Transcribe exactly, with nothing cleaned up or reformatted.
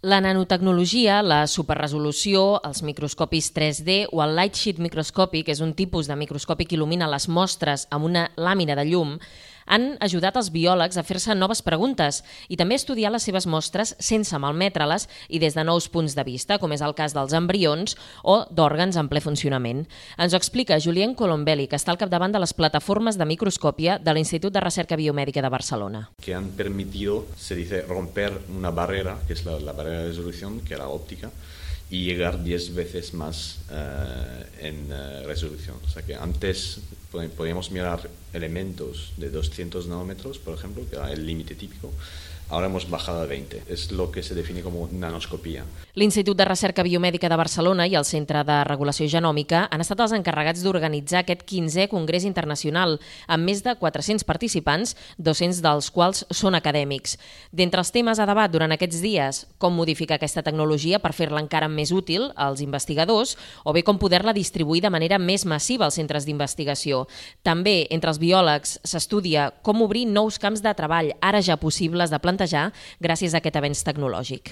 La nanotecnologia, la superresolució, els microscopis tres D o el light sheet microscopy, que és un tipus de microscopi que il·lumina les mostres amb una làmina de llum, han ajudat els biòlegs a fer-se noves preguntes i també a estudiar les seves mostres sense malmetre-les i des de nous punts de vista, com és el cas dels embrions o d'òrgans en ple funcionament. Ens ho explica Julien Colombelli, que està al capdavant de les plataformes de microscòpia de l'Institut de Recerca Biomèdica de Barcelona. Que han permitido, se dice, romper una barrera, que es la, la barrera de resolución, que era óptica, y llegar diez veces más uh, en uh, resolución. O sea que antes podíamos mirar elementos de doscientos nanómetros, por ejemplo, que era el límite típico. Ahora hemos bajado a veinte. Es lo que se define como nanoscopia. L'Institut de Recerca Biomèdica de Barcelona i el Centre de Regulació Genòmica han estat els encarregats d'organitzar aquest quinzè Congrés Internacional amb més de quatre-cents participants, dos-cents dels quals són acadèmics. D'entre els temes a debat durant aquests dies, com modificar aquesta tecnologia per fer-la encara més útil als investigadors o bé com poder-la distribuir de manera més massiva als centres d'investigació. També, entre els biòlegs, s'estudia com obrir nous camps de treball, ara ja possibles de plantejar gràcies a aquest avenç tecnològic.